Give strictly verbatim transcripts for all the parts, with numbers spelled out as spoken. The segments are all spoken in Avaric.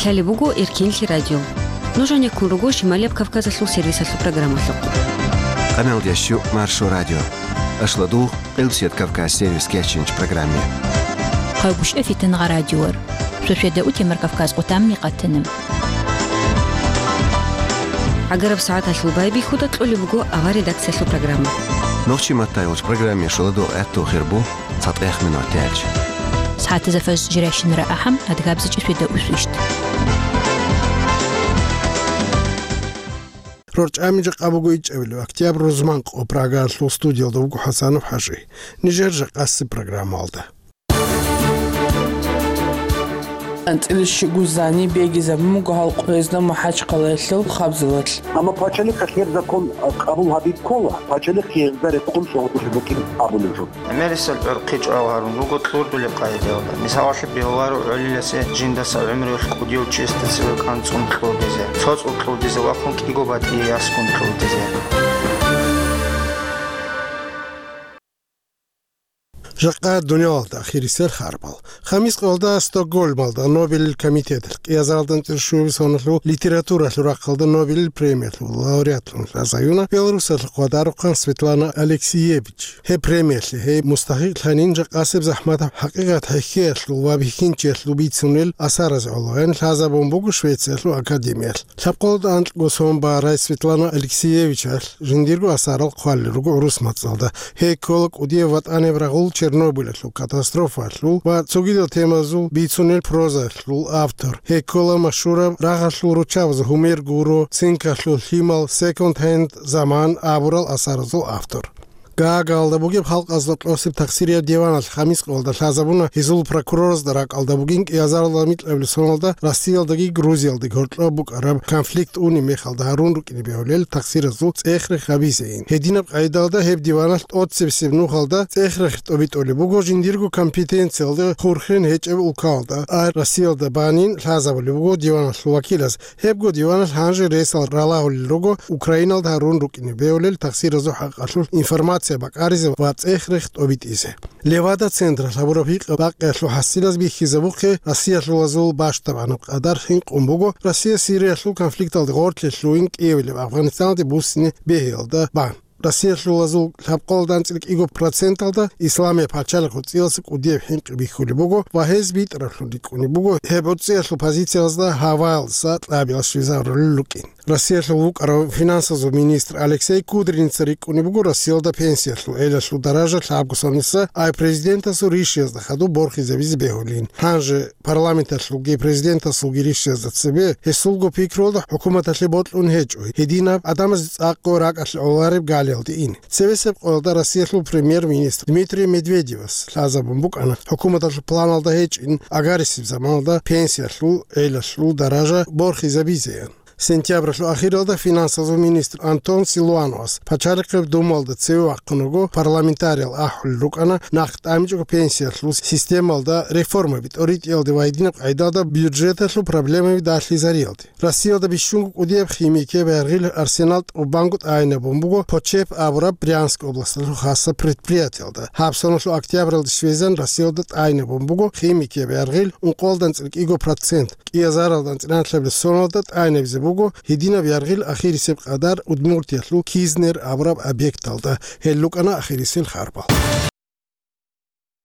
Лъалеб буго Эркенлъи радио. Нуж гьанеккун руго Шималияб Кавказалъул сервисалъул программалъухъ. Къаналдящу Маршо радио. Ашладугъ Къилбсият Кавказ сервис кечинч программе. Хъайгуща фитангъа радиор. Шошеда утемар Кавказ къутамни къатанам. Агараб сагӀаталъул байбихьуда кьолеб буго авар редакциялъул программа. Нохчи маттайгъуч программе шоладо гӀатту хирбу. ЦатӀех минуталъ. СагӀатазда фаз жирайщинара ахӀам, адгабзичӀи шведа усвищт. РорчӀами жакъа буго ичӀабилеб октябрь рузман къо, Прагалъул студиялда вуго ХӀасанов ХӀажи. Нижер жакъасеб программалда. АнцӀила щугу зани бегизабун буго гьал къоязда МахӀачхъалаялъул хабзалалъ. Амма пачалихъалъ гьеб закон, а, къабул гьабизе ккола, пачалихъ гьезда рекъон цӀугӀдулеб букӀин абулеб жо. ГӀемерисел гӀурхъи чӀвал гьарун руго кьурдулеб къагӀидаялда. Мисалалъе бегьуларо гӀолиласе жиндаса гӀумруялъ кӀудияв чиясда цеве кӀанцӀун кьурдизе, цоцӀул кьурдизе ва хъун кӀиго батӀие ясгун кьурдизе. Жакъа дуниялалда ахирисел харбал. Хамис къоялда Стокгольмалда Нобелил комитеталъ кӀиазаралда анцӀила щуябилеб соналъул литературалъул рахъалда Нобелил премиялъул лауреатлъун лъазаюна Беларусалъухъ ватарухъан Светлана Алексиевич. Гьеб премиялъе гьей мустахӀикълъанин жакъасеб захӀматаб хӀакъикъат хӀехьеялъул ва бихьинчиялъул бицунел асаразе гӀолоян лъазабун буго Швециялъул академиялъ. Лъабкъоялда анкьго сон барай Светлана Алексеевичалъ жиндирго асарал хъвалел руго гӀурус мацӀалда. Гьей ккола кӀудияб ватӀаниб рагъул Чернобыльалъул катастрофаялъул ва цогидал темазул бицунел прозаялъул автор. Гьей ккола машгьураб рагъалъул руччабазул Гьумер гуро, Цинкалъул лъимал, Секонд-хенд заман абурал асаразул автор. Гаагаялда бугеб халкъазда кьосеб тахсирияб диваналъ Хамис къоялда лъазабуна гьезул прокуроразда ракӀалда бугин кӀиазаралда микьабилеб соналда Россиялдаги Грузиялдаги гьоркьоб букӀараб конфликт унеб мехалда гьарун рукӀине бегьулел тахсиразул цӀех-рех гьабизейин. Гьединаб къайдалда гьеб диваналъ тӀоцебесеб нухалда цӀех-рех тӀобитӀулеб буго жиндирго компетенциялда хурхен гьечӀеб улкалда, а Россиялда банин лъазабулеб буго диваналъул вакилаз. Гьебго диваналъ гьанже ресал ралагьулел руго Украиналда гьарун рукӀине бегьулел тахсиразул хӀакъалъулъ информация бакӀаризе ва цӀех-рех тӀобитӀизе. Левада-централъ гьабураб гьикъаб-бакъиялъул хӀасилаз бихьизабухъе Россиялъулазул бащдабанаб къадар хӀинкъун буго Россия Сириялъул конфликталда гъорлъе лъугьин кӀиявилеб Афгъанистаналде буссине бегьиялда бан. Россиялъулазул лъабкъоялда анцӀила кӀиго проценталда Исламияб пачалихъ гӀуцӀиялъул кӀудияб хӀинкъи бихьулеб буго ва гьез битӀараблъун рикӀкӀунеб буго гьеб гӀуцӀиялъул позициялда гьаваялдаса кьабиялъ щвезарулел рукӀин. Россиялъул вукӀарав финансазул министр Алексей Кудриница рикӀкӀунеб буго Россиялда пенсиялъул гӀелалъул даража лъабго соналъ, ай президентасул ришиязда хадуб борхизабизе бегьулин. Гьанже парламенталъулги президентасулги ришиязда цебе гьесулго пикруялда хӀукуматалъе бокьун гьечӀо, гьединаб гӀадамазе цӀакъго ракӀалъе гӀолареб галиялде ин. Цебесеб къоялда Россиялъул премьер-министр Дмитрий Медведевас лъазабун букӀана хӀукуматалъул планалда гьечӀин агарисеб заманалда пенсиялъул гӀелалъул даража борхизабизеян. Сентябралъул ахиралда финансазул министр Антон Силуановас Пачалихъеб Думалда цеве вахъун вуго, парламентариял ахӀулел рукӀана нахъ тӀамичӀого пенсиялъул системалда реформаби тӀоритӀиялде ва гьединаб къайдалда бюджеталъул проблемаби далъизариялде. Россиялда бищунго кӀудияб химикияб яргъил арсенал тӀубанго тӀайинабун буго Почеп абураб Брянск областалъул хасаб предприятиялда. Гьаб соналъул октябралде щвезан Россиялда тӀайинабун буго химикияб яргъил ункъоялда анцӀила кӀиго процент. КӀиазаралда анцӀила анлъабилеб соналда тӀайинабизе буго гьединаб яргъил ахирисеб къадар Удмуртиялъул Кизнер абураб объекталда. Гьел рукӀана ахирисел харбал.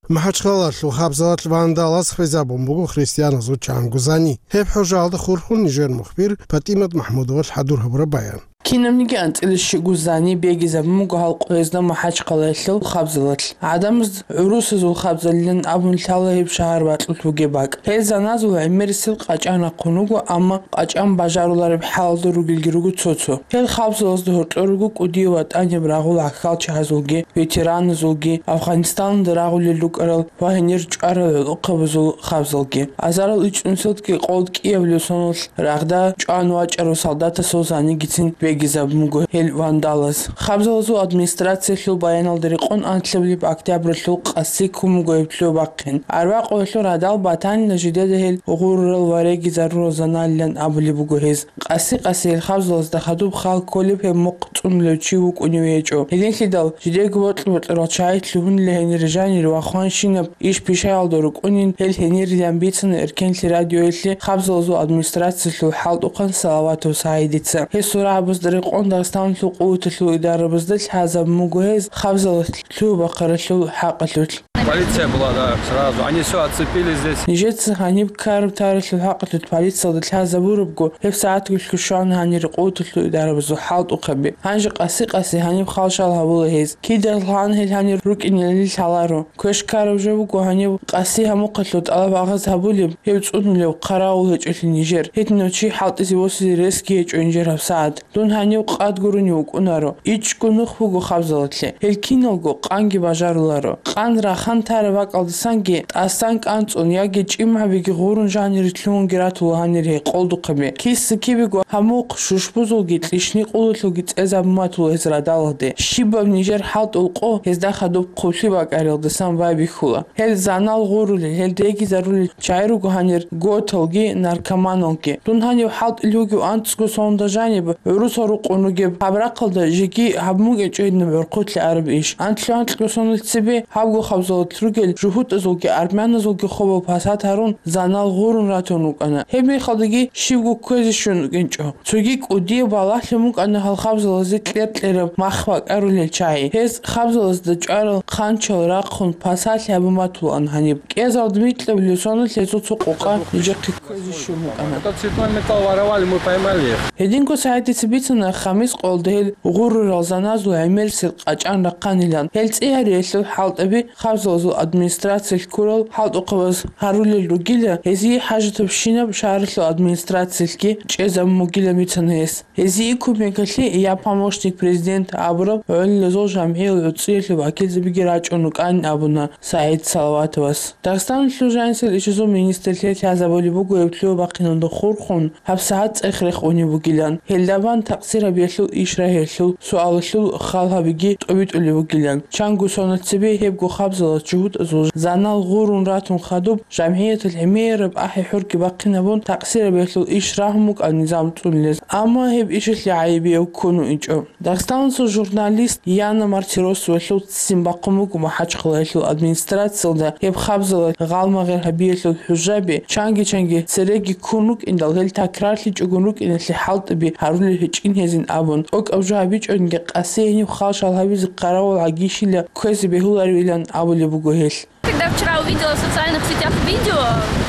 МахӀачхъалалъул хабзалалъ вандалаз хвезабун буго христианазул чанго зани. Гьеб хӀужаалда хурхун нижер мухбир ПатӀимат МахӀмудовалъ хӀадур гьабураб баян. Кинабниги анцӀила щугу зани бегизабун буго гьал къоязда МахӀачхъалаялъул хабзалалъ. ГӀадамаз гӀурусазул хабзалилан абун лъала гьеб шагьар бакьулъ бугеб бакӀ. Гьел заназул гӀемерисел къачӀан рахъун руго, амма къачӀан бажарулареб хӀалалда ругелги руго цо-цо. Гьел хабзалазда гьоркьор руго кӀудияв ватӀаниб рагъул гӀахьалчагьазулги, ветераназулги, Афгъанистаналда рагъулел рукӀарал ва гьенир чӀварал гӀолохъабазул хабзалги. Азарал ичӀнусилдги къолд кӀиявлъул соналъ рагъда чӀван вачӀарав солдатасул занигицин гизабун буго гьел вандалаз. Хабзалазул администрациялъул баяналда рекъон анлъабилеб октябралъул къаси ккун буго гьеб лъугьа-бахъин. Арбакъуялъул радал батанила жидеда гьел гъурурал ва регизарурал заналилан абулеб буго гьез. Къаси-къаси гьел хабзалазда хадуб хал кколеб гьеб мухъ цӀунулев чи вукӀунев гьечӀо. Гьединлъидал жидерго бокьа-бокьарал чагӀи лъугьунила гьенир жанир ва хванщинаб иш пишаялда рукӀунин гьел гьенирилан бицана Эркенлъи радиоялъе хабзалазул администрациялъул хӀалтӀухъан Салаватов СагӀидица. Гьесул рагӀабазда рекъон Дагъистаналъул къуваталъул идарабазда лъазабун буго гьез хабзалас лъугьа-бахъаралъул хӀакъалъулъ. Полиция была, да, сразу. Они всё отцепили здесь. Нижеца гьаниб ккараб таралъул хӀакъалъулъ полициялда лъазабурабго, гьеб сагӀатгулъго щвана гьанир къуваталъул идарабазул хӀалтӀухъаби. Гьанже къаси-къаси гьаниб хал-шал гьабула гьез. Кидал гьан гьел гьанир рукӀинилан лъаларо. Квеш ккараб жо буго гьаниб къаси гьамухъалъув тӀалаб-агъаз гьабулеб, гьев цӀунулев, хъаравул гьечӀолъи нижер. Гьединав чи хӀалтӀизе восизе ресги гьечӀо нижер гьабсагӀат. Дун гьанив къад гурони вукӀунаро. ИчӀго нух буго хабзалалъе. Гьел киналго къанги бажаруларо. Къан рахан тараб бакӀалдасанги тӀасан кӀанцӀун яги чӀимгӀабиги гъурун жанире лъугьунги ратула гьанир гьей къолдухъаби. Киса-кибего гьамухъ, шушбузулги, кьишни-къулалъулги цӀезабун батула гьез радалалде. Щибаб нижер хӀалтӀул къо гьезда хадуб хъублъи бакӀариялдасан байбихьула. Гьел занал гъурулел, гьел регизарулел чагӀи руго гьанир готалги, наркоманалги. Дун гьанив хӀалтӀил вугев анцӀго соналда жаниб, гӀурусал рукъун ругеб гьаб рахъалда жеги гьабун букӀинчӀо гьединаб гӀурхъулъи араб иш. Анлъго-анлъго соналъ цебе гьабго хабзалалъ ругел жугьутӀазулги армяназулги хобал пасат гьарун, занал гъурун ратун рукӀана. Гьеб мехалдаги щибго кквезе щун букӀинчӀо. Цоги кӀудияб балагьлъун букӀана гьал хабзалазе кьер-кьераб мах бакӀарулел чагӀи. Гьез хабзалазда чӀварал хъанчал рахъун пасалъи гьабун батулаан гьаниб. КӀезалда микьабулеб соналъ гьезул цо къокъа нижехъе кквезе щун букӀана. Этот цветной металл воровали, мы поймали их. Гьединго СагӀидица бицана, Хамис къоялда гьел гъурурал заназул гӀемерисел къачӀан рахъанилан. Гьел цӀи гьариялъул хӀалтӀаби хабзалазул администрациялъ ккурал хӀалтӀухъабаз гьарулел ругила, гьезие хӀажатабщинаб шагьаралъул администрациялъги чӀезабун бугилан бицана гьес. Гьезие кумекалъе «Я помощник президента» абураб гӀолилазул жамгӀиял гӀуцӀиялъул вакилзабиги рачӀун рукӀанин абуна СагӀид Салаватовас. Дагъистаналъул жанисел ишазул министрлъи лъазабулеб буго гьеб лъугьа-бахъиналда хурхун, гьабсагӀат цӀех рехун унеб бугилан. Гьелда бан такъсир гьабиялъул иш рагьиялъул суалалъул хал гьабиги тӀобитӀулеб бугилан. Чанго соналъ цебе гьебго хабзалас жугьутӀазул занал гъурун ратун хадуб, жамгӀияталъ гӀемераб ахӀи-хӀурги бахъинабун, такъсир гьабиялъул иш рагьун букӀана низам цӀунулез. Амма гьеб ишалъе гӀайибияв ккун вугьичӀо. Дагъистаналъул журналист Яна Мартиросовалъул ццин бахъун буго МахӀачхъалаялъул администрациялда гьеб хабзалалъ гъалмагъер гьабиялъул хӀужаби, чанги-чанги цереги ккун рукӀиндал, гьел такрарлъичӀогун рукӀиналъе хӀалтӀаби гьарулел гьечӀин гьезин абун, тӀокӀаб жо гьабичӀониги къаси гьениб хал-шал гьабизе хъаравул гӀагищила кквезе бегьуларивилан абулеб буго гьелъ. Когда вчера увидела в социальных сетях видео,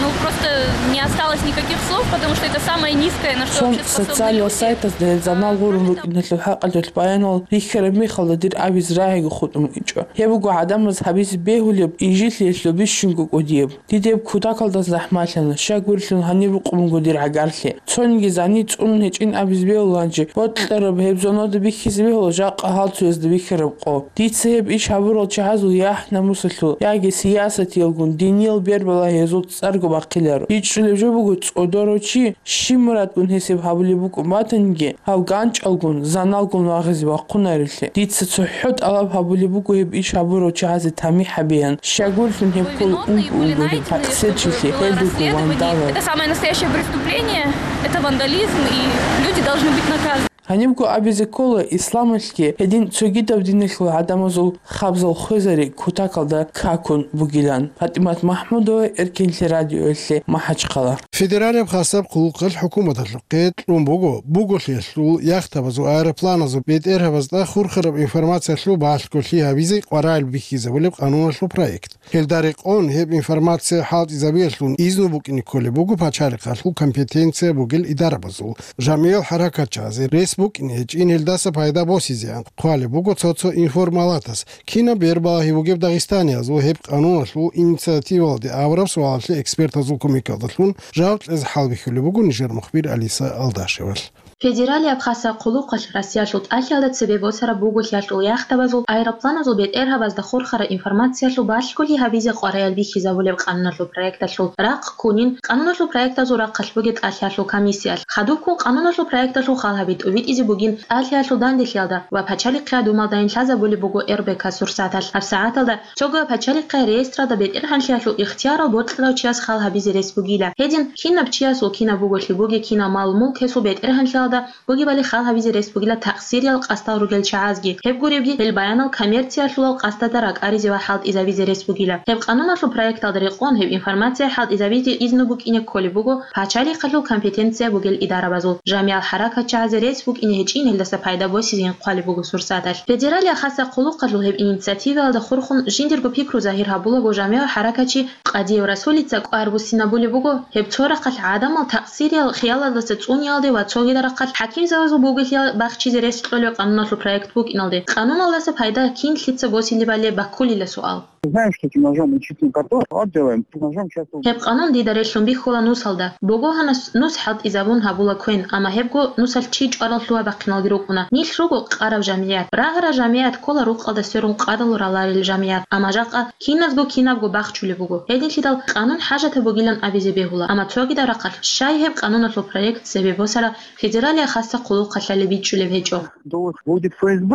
ну, просто не осталось никаких слов, потому что это самое низкое, на что Цун вообще способны социальный люди. Сайтазда гьел занал гъурун рукӀиналъул хӀакъалъулъ баянал рихьараб мехалда дир абизе рагӀиго хутӀун вугьичӀо. Гьеб буго гӀадамаз гьабизе бегьулеб, инжитлъиялъул бищунго кӀудияб. Дида гьеб кутакалда захӀмалъана, щай гурелъул гьанир рукъун буго дир гӀагарлъи. Цониги зани цӀунун гьечӀин абизе бегьуланчи, бокьараб гьеб зонада бихьизе бегьула жакъа гьал цоязда бихьараб къо. Дица гьеб иш гьабурал чагӀазул яхӀ-намусалъул яги сиясатиялгун диниял бербалагьиязул цӀарго бахъиларо. ИчӀчӀулеб жо буго цӀодорав чи, щиб мурадгун гьесиб гьабулеб букӀун батаниги, гьав ганчӀалгун, заналгун вагъизе вахъунаревлъи. Дица цохӀо тӀалаб гьабулеб буго гьеб иш гьабурав чагӀазе тамихӀ гьабеян, щай гурелъул гьеб ккола унго-унго гьеб такъсирчилъи, гьел руго вандалал. Это самое настоящее преступление, это вандализм, и люди должны быть наказаны. Гьанибго абизе ккола, исламалъги гьедин цогидаб диналъул гӀадамазул хабзал хвезари кутакалда какун бугилан. ПатӀимат МахӀмудова, Эркенлъи радиоялъе, МахӀачхъала. Федералияб хасаб хъулухъалъ хӀукуматалъухъе кьун буго буголъиялъул, яхтабазул, аэропланазул бетӀергьабазда хурхараб информациялъул балъголъи гьабизе къваригӀел бихьизабулеб къануналъул проект. Гьелда рекъон гьеб информация хӀалтӀизабиялъун изну букӀине кколеб буго пачалихъалъул компетенция бугел идарабазул, жамгӀиял хӀаракатчагӀазе рес букӀине гьечӀин гьелдаса пайда босизеян. Хъвалеб буго цо-цо информалатас, кинаб бербалагьи бугеб дагъистаниязул гьеб къануналъул инициативалде абураб суалалъе экспертазул кумекалдалъун жаваб кьезе хӀалбихьулеб буго нижер мухбир Алиса Алдашевалъ. Федералияб хасаб хъулухъалъ Россиялъул тӀалъиялда цебе босараб буголъиялъул яхтабазул, аэропланазул бетӀергьабазда хурхараб информациялъул балъголъи гьабизе къваригӀел бихьизабулеб къануналъул проекталъул рахъ ккунин, къануналъул проектазул рахъалъ бугеб тӀалъиялъул комиссиялъ. Хадубккун къануналъул проекталъул хал гьаби тӀубитӀизе бугин тӀалъиялъул данделъиялда ва пачалихъияб думалдайин лъазабулеб буго РБК Сурсаталъ. ГьабсагӀаталда цого пачалихъе реестралда бетӀергьанлъиялъул ихтиярал бокьарав чияс хал гьабизе рес бугила. Гьедин, кинаб чиясул кинаб буголъи бугеб, кинаб мал-мулк гьесул бетӀергьанлъиялда бугебали хал гьабизе рес бугила такъсириял къасдал ругел чагӀазги. Гьеб гуребги, гьел баянал коммерциялъулал къасдазда ракӀаризе ва хӀалтӀизабизе рес бугила. Гьеб къануналъул проекталда рекъон гьеб информация хӀалтӀизабизе изну букӀине кколеб буго пачалихъалъул компетенция бугел идарабазул. Жамигьал хӀаракатчагӀазе рес букӀине гьечӀин гьелдаса пайда босизейин хъвалеб буго Сурсаталъ. Федералияб хасаб хъулухъалъул гьеб инициативаялда хурхун жиндирго пикру загьир гьабулаго жамигьал хӀаракатчи Къадиев Расулица кӀвар буссинабулеб буго, гьеб цо рахъалъ гӀадамал такъсириял хиялалдаса цӀуниялде ва цогидал рахъалъ хӀакимзабазул буголъи бахчизе рес кьолеб къануналъул проект букӀиналде. Къануналдаса пайда кинлъица босилебали баккулила суал. Знаешь, что этим ножом мы чистим картошку, вот делаем, этим ножом часто. Гьеб къанун дида релълъун бихьула нусалда. Богогьанас нус хӀалтӀизабун гьабула квен, амма гьебго нусалъ чи чӀварал лъугьа-бахъиналги рукӀуна. Нилъ руго къараб жамигӀат. Рагъараб жамигӀат ккола рукъалда сверун къадалу раларел жамигӀат, амма жакъа киназго кинабго бахчулеб буго. Гьединлъидал къанун хӀажатаб бугилан абизе бегьула, амма цогидал рахъалъ щай гьеб къануналъул проект цебе босараб федералияб хасаб хъулухъалъали бичӀчӀулеб гьечӀо. Доллар будет ФСБ,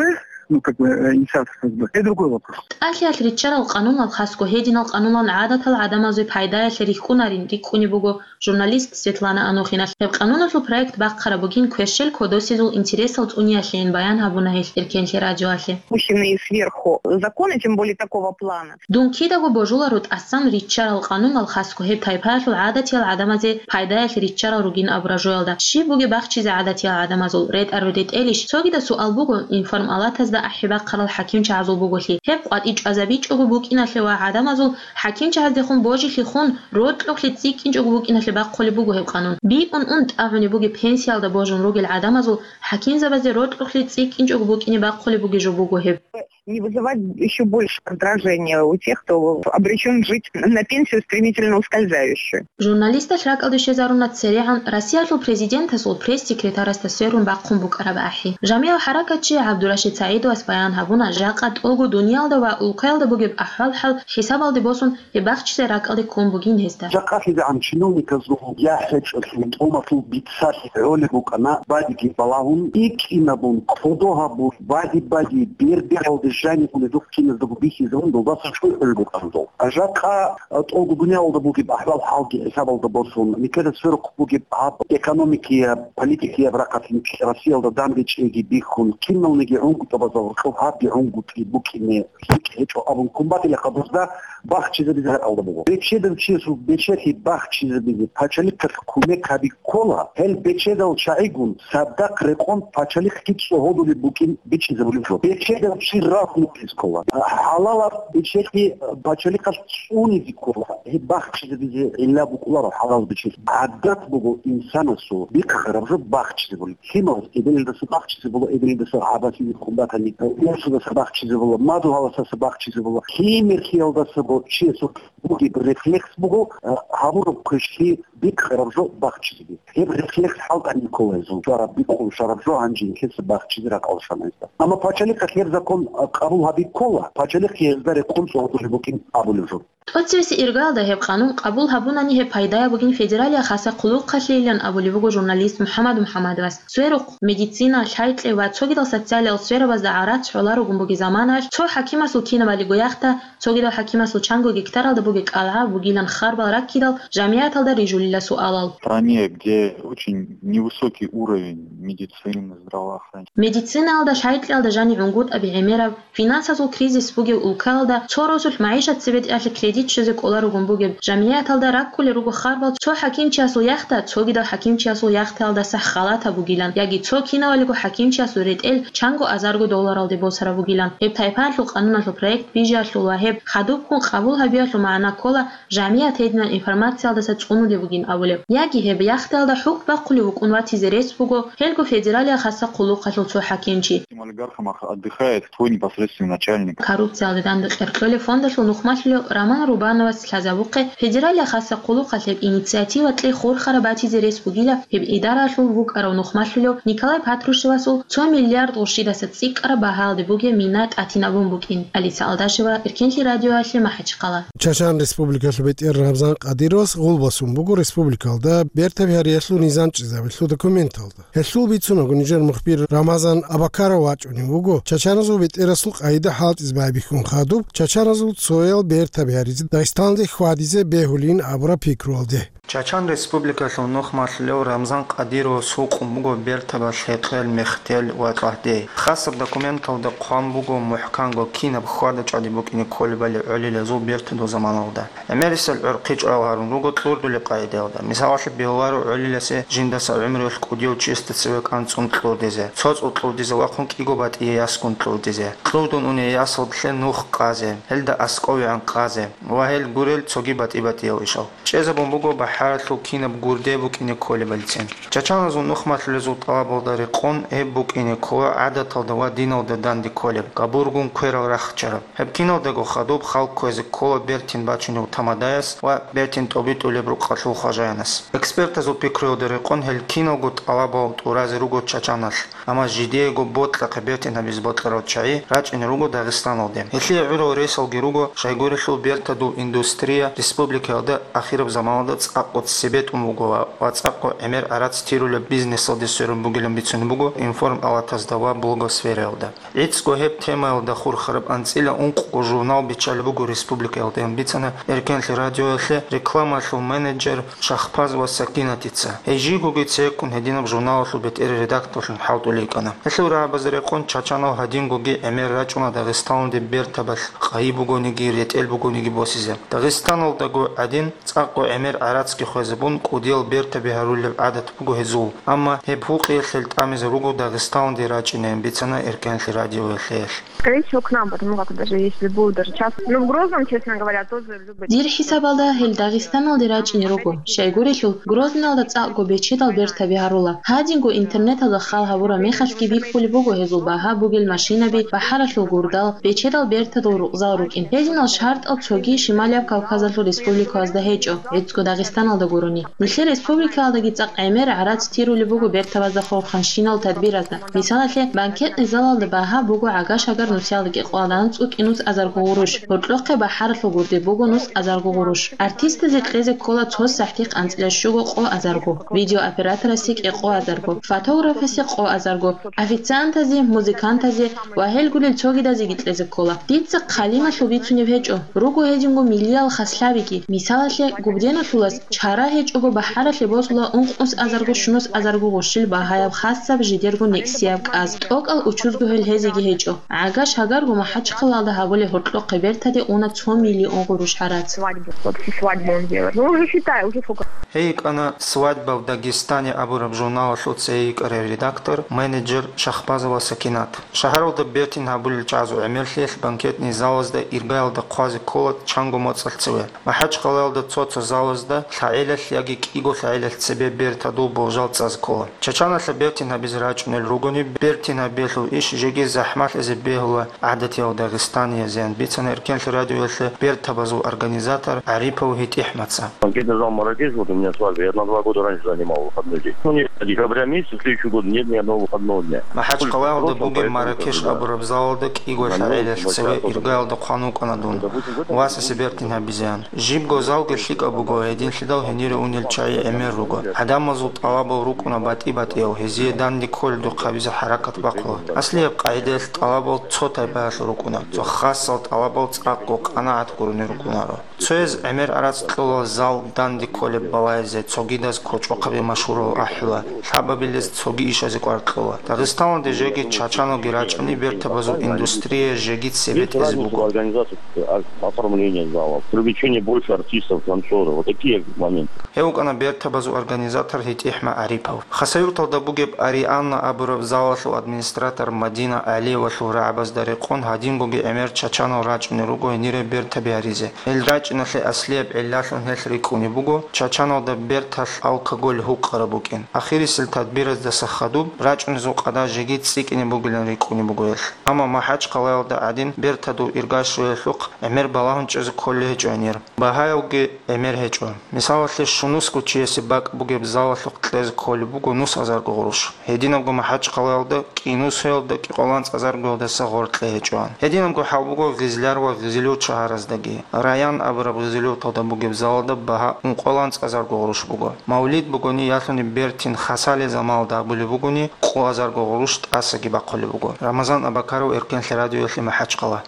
ну, как бы, э, инициатор ФСБ, это другой вопрос. ТӀалъиялъ риччарал къануналъ хасго гьединал къануналъ гӀадатал гӀадамазе пайдаялъе рихьунарин рикӀкӀунеб буго журналист Светлана Анохиналъ. Гьеб къануналъул проект бахъараб бугин квешел кодосезул интересал цӀуниялъейин баян гьабуна гьелъ Эркенлъи радиоялъе. Пущенные сверху законы, тем более такого плана. Дун кидаго божуларо тӀасан риччарал къануналъ хасго гьеб тайпаялъул гӀадатиял гӀадамазе пайдаялъе риччарал ругин абураб жоялда. Щиб бугеб бахчизе гӀадатиял гӀадамазул? РетӀараб ретӀелищ? Цогидаб суал буго информалатазда ахӀи бахъарал хӀакимчагӀазул буголъи. Гьеб къватӀи чӀвазабичӀого букӀиналъе ва гӀадамазул хӀакимчагӀаздехун божилъи хун, рокьулъе цӀикӀкӀинчӀого букӀиналъе бахъулеб буго гьеб къанун. БитӀун ун тӀагӀунеб бугеб пенсиялда божун ругел гӀадамазул хӀакимзабазде рокьулъе цӀикӀкӀинчӀого букӀине бахъулеб бугеб жо буго гьеб. Не вызывать ещё больше раздражения у тех, кто обречён жить на пенсию стремительно ускользающую. Журналисталъ ракӀалде щвезаруна церегӀан Россиялъул президентасул пресс-секретарасда сверун бахъун букӀараб ахӀи. Жамигьал хӀаракатчи ГӀабдурашид СагӀидовас баян гьабуна, жакъа тӀолго дуниялда ва улкаялда бугеб ахӀвал-хӀал хӀисабалде босун, гьеб бахчизе ракӀалде ккун бугин гьезда. ЖакъалъизегӀан чиновниказул яхӀ гьечӀолъун тӀомалъул бицалъи гӀолеб букӀана, бадиги балагьун, икӀинабун, кодо гьабун, бади-бади, бер-бералде жаниб унеб жо киназдаго бихьизабун, долдаса чӀухӀулеб букӀана дол. Жакъа, а, тӀолго дуниялалда бугеб ахӀвал-хӀалги хӀисабалда босун, нилъеда сверухъ бугеб гьаб экономикияб, политикияб рахъалъ Россиялда данде чӀейги бихьун, киналниги гӀунгутӀабазда гьоркьоб гьабги гӀунгутӀи букӀине лъикӀ гьечӀо абун ккун батила хадурзда бахчизабизе ракӀалда буго. Бечедав чиясул бечелъи бахчизабизе пачалихъалъ кумек гьаби ккола, гьел бечедал чагӀигун цадахъ рекъон пачалихъги цӀогьодулеб букӀин бичӀчӀизабулеб жо. Бечедав чи рагьмулъиз ккола. ХӀалалаб бечелъи пачалихъалъ цӀунизе ккола. Гьеб бахчизабизе гӀилла букӀуларо хӀалал бечелъи. ГӀадат буго инсанасул бихъараб жо бахчизабулеб. Лъималаз эбелалдаса бахчизабула, эбелалдаса гӀабасизе ккун батани, урсудаса бахчизабула, мадугьаласаса бахчизабула. Лъимерлъиялдасаго чиясул бугеб рефлекс буго, а, гьабураб квешлъи бикъараб жо бахчизеги. Гьеб рефлекс хӀалтӀани ккола гьезул, щвараб бикъун щвараб жо гьанже нилъеца бахчизе ракӀалде щвана гьезда. Амма пачалихъалъ гьеб закон, а, къабул гьаби ккола, пачалихъ гьезда рекъон цӀогьорулеб букӀин абулеб жо. ТӀоцевесеб иргаялда гьеб къанун къабул гьабунани гьеб пайдаяб бугин федералияб хасаб хъулухъалъейилан абулеб буго журналист МухӀаммад МухӀаммадовас. Сверухъ, медицина, лъайкьи ва цогидал социалиял сферабазда гӀарац гӀоларогун бугеб заманаялъ цо хӀакимасул кинабалиго яхта, цогидал хӀакимасул чанго гектаралда бугеб кӀалгӀа бугилан харбал раккидал жамигӀаталда рижулила суалал. В стране, где очень невысокий уровень медицины, здравоохранения. Медицинаялда, лъайкьиялда жаниб гӀунгутӀаби гӀемераб, финансазул кризис бугеб улкаялда цо росулъ магӀишат цебетӀиялъе кредит щвезе кӀоларогун бугеб жамигӀаталда раккулел руго харбал цо хӀакимчиясул яхта цогидал хӀакимчиясул яхтаялдаса халатаб бугилан яги цо кинавалиго хӀакимчиясул ретӀел чанго азарго долларалде босараб бугилан. Гьеб тайпаялъул къануналъул проект бижиялъул ва гьеб хадубккун къабул гьабиялъул магӀна ккола жамигӀат гьединал информациялдаса цӀунулеб бугин абулеб. Яги гьеб яхтаялда хӀукму бахъулев вукӀун ватизе рес буго гьелго федералияб хасаб хъулухъалъул цо хӀакимчи. Этим олигархом отдыхает твой непосредственный начальник. Коррупциялде данде кьеркьолеб фондалъул нухмалъулев Роман Рубановас лъазабухъе, федералияб хасаб хъулухъалъеб инициатива кьей хурхараб батизе рес бугила гьеб идараялъул вукӀарав нухмалъулев Николай Патрушевасул цо миллиард гъурщидаса цӀикӀкӀараб багьалде бугеб мина тӀатинабун букӀин. Алиса Алдашева, Эркенлъи радиоялъе, МахӀачхъала. Чачан Республикалъул бетӀер Рамзан Къадировас гъулбасун буго республикалда бертаби гьариялъул низам чӀезабиялъул документалда. Гьелъул бицунаго, нижер мухбир Рамазан Абакаров вачӀунев вуго чачаназул бетӀерасул къагӀида хӀалтӀизе байбихьун хадуб, чачаназул цоял бертаби гьаризе Дагъистаналде хьвадизе бегьулин абураб пикруялде. Чачан Республикалъул нухмалъулев Рамзан Къадировас гьукъун буго бертабалъ гьекъел, мехтел ва кьагьдей. Хасаб документалда хъван буго мухӀканго кинаб хьвада-чӀвади букӀине кколебали гӀолилазул бертадул заманалда. ГӀемерисел гӀурхъи чӀвал гьарун руго кьурдулеб къагӀидаялда. Мисалалъе бегьуларо гӀолиласе жиндаса гӀумруялъ кӀудияв чиясда цеве кӀанцӀун кьурдизе, цоцӀул кьурдизе вахъун кӀиго батӀие ясгун кьурдизе, кьурдун уней ясалдалъе нух къазе, гьелда аскӀовегӀан къазе ва гьел гурел цоги батӀи-батӀиял ишал. ЧӀезабун буго бахӀаралъул кинаб гурде букӀине кколебалицин. Чачаназул нухмалъулезул тӀалабалда рекъон гьеб букӀине ккола гӀадаталда ва диналда данде кколеб, габургун кверал рахчараб. Гьеб киналдаго хадуб халкъ кквезе ккола бертин бачунев тамадаяс ва бертин тӀобитӀулеб рукъалъул хважаянас. Экспертазул пикруялда рекъон гьел киналго тӀалабал тӀуразе руго Чачаналъ, амма жидеего бокьахъе бертин гьабизе бокьарал чагӀи рачӀине руго Дагъистаналде. Гьелъие гӀурал ресалги руго, щайгурелъул бертадул индустрия республикаялда ахираб заманалда цӀакъго цебетӀун буго ва цӀакъго гӀемер-гӀарац тирулеб бизнесалде сверун бугилан бицунеб буго информалатазда ва блогосфераялда. ГӀицӀго гьеб темаялда хурхараб анцӀила ункъго журнал биччалеб буго республикаялда, ян бицана Эркенлъи радиоялъе рекламалъул менеджер Шахпазова Сакинатица. Гьей жийгоги цеккун гьединаб журналалъул бетӀер редакторлъун хӀалтӀулей йикӀана. Гьелъул рагӀабазе рекъон Чачанал гьадингоги гӀемер рачӀуна Дагъистаналде бертабалъ къайи бугониги, ретӀел бугониги босизе. Дагъистаналдаго гӀадин, цӀакъго гӀемер-гӀарацги хвезабун, кӀудиял бертаби гьарулеб гӀадат буго гьезул, амма гьеб гьукъиялъ гьел тӀамизе руго Дагъистаналде рачӀинеян бицана Эркенлъи радиоялъе гьелъ. Скорее всего, к нам, потому как даже если будет даже час. Ну, в Грозном, честно говоря, тоже любят. Дир хӀисабалда гьел Дагъистаналде рачӀине руго. Щайгурелъул, Грозныйалда цӀакъго бечедал бертаби гьарула. Гьадинго интернеталда хал гьабураб мехалъги бихьулеб буго гьезул багьа бугел машинаби, бахӀаралъул гурдал, бечедал бертадул рукъзал рукӀин. Гьединал шартӀал цоги Шималияб Кавказалъул республикаялда гьечӀо, гӀицӀго Дагъистаналда гурони. Нилъер республикаялдаги цӀакъ гӀемер гӀарац тирулеб буго бертабазда хурханщинал тадбиразда. Мисалалъе, банкетный залалда багьа буго гӀага-шагар нусиялда кӀикъоялда анцӀго кӀинус азарго гъурущ, гьоркьохъе бахӀаралъул гурде буго нус азарго гъурущ. Артистазе кьезе ккола цо сахӀтихъ анцӀила щуго къо азарго, видеооператорасе кӀикъо азарго, фотографасе къо азарго, официантазе, музыкантазе ва гьел гурел цогидазеги кьезе ккола. Дица хъалималъул бицунеб гьечӀо, руго гьединго миллиял хаслъабиги. Мисалалъе, Губденалъулас чара гьечӀого бахӀаралъе босула ункънус азарго-щунус азарго гъущил багьаяб хасаб жидерго некӀсияб кӀаз, тӀокӀал учузго гьел гьезеги гьечӀо. ГӀага-шагарго МахӀачхъалалда гьабулеб гьоркьохъеб бертаде уна цо миллион гъурущ гьарац. Свадьбу, вот всю свадьбу он делает. Ну, уже считай, уже сколько. Гьей йикӀана «Свадьба в Дагестане» абураб журналалъул цее йикӀарай редактор, менеджер Шахпазова Сакинат. Шагьаралда бертин гьабулел чагӀазул гӀемерлъиялъ банкетный залазда иргаялда хъвазе ккола чанго моцӀалъ цеве. МахӀачхъалаялда цо-цо залазда лъагӀелалъ яги кӀиго лъагӀелалъ цебе бертадул болжал цӀазе ккола. Чачаналъа бертин гьабизе рачӀунел ругони, бертин гьабиялъул иш жеги захӀмалъизе бегьула гӀадатиял дагъистаниязеян бицана Эркенлъи радиоялъе бертабазул организатор ГӀарипов ГьитӀихӀмаца. Банкетный зал «Маракеш», вот у меня свадьба, я на два года раньше занимал выходной день. Ну, не декабря месяца, следующий год нет ни одного выходного дня. МахӀачхъалаялда бугеб «Маракеш» абураб залалда кӀиго лъагӀелалъ цеве иргаялда хъван вукӀана дун, васасе бертин гьабизеян. Жибго залги лъикӀаб буго, гьединлъидал гьенире унел чагӀи гӀемер руго. ГӀадамазул тӀалабал рукӀуна батӀи-батӀиял, гьезие данде кколедухъ гьабизе хӀаракат бахъула. Аслияб къагӀидаялъ тӀалабал цо тайпаялъул рукӀуна, цо хасал тӀалабал цӀакъго къанагӀат гурони рукӀунаро. Цояз гӀемер-гӀарац кьола зал данде кколеб балайзе, цогидаз кочӀохъаби машгьурал ахӀула, лъабабилез цоги ишазе кӀвар кьола. Дагъистаналде жеги чачаналги рачӀани бертабазул индустрия жеги цебетӀезе буго. Организация, а, оформление залов, привлечение больше артистов, танцоров. Вот такие моменты. Гьев вукӀана бертабазул организатор ГьитӀихӀма ГӀарипов. Хасавюрталда бугеб «Арианна» абураб залалъул администратор Мадина ГӀалиевалъул рагӀабазда рекъон гьадингоги гӀемер чачанал рачӀунел руго гьенире бертаби гьаризе. Гьел рачӀиналъе аслияб гӀиллалъун гьелъ рикӀкӀунеб буго, чачаналда берталъ алкоголь гьукъараб букӀин. Ахирисел тадбираздаса хадуб, рачӀунезул къадар жеги цӀикӀкӀине бугилан рикӀкӀунеб буго гьелъ. Амма МахӀачхъалаялда гӀадин бертадул ирга щвеялъухъ гӀемер балагьун чӀезе кколей гьечӀо гьанир. Багьаявги гӀемер гьечӀо. Мисалалъе, щунусго чиясе бакӀ бугеб залалъухъ кьезе кколеб буго нус азарго гъурущ. Гьединабго МахӀачхъалаялда кӀинусиялда кӀикъоялда анцӀазаргоялдаса гъоркье гьечӀо. Гьединабго хӀал буго Гъизлияр ва Гъизлиюр шагьараздаги. Раян абураб Гъизлиюталда бугеб залалда багьа ункъоялда анцӀазарго гъурущ буго. Мавлид бугони, ялъуни бертин хасалил заманалда абулеб бугони, къо азарго гъурущ тӀасаги бахъулеб буго. Рамазан Абакаров, Эркенлъи радиоялъе, МахӀачхъала.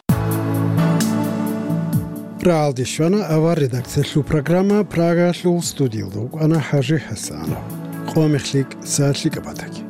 РагӀалде щвана авар редакциялъул программа, Прагаялъул студиялда вукӀана ХӀажи ХӀасанов. Къо мехлъи, са лъикӀаб батаги.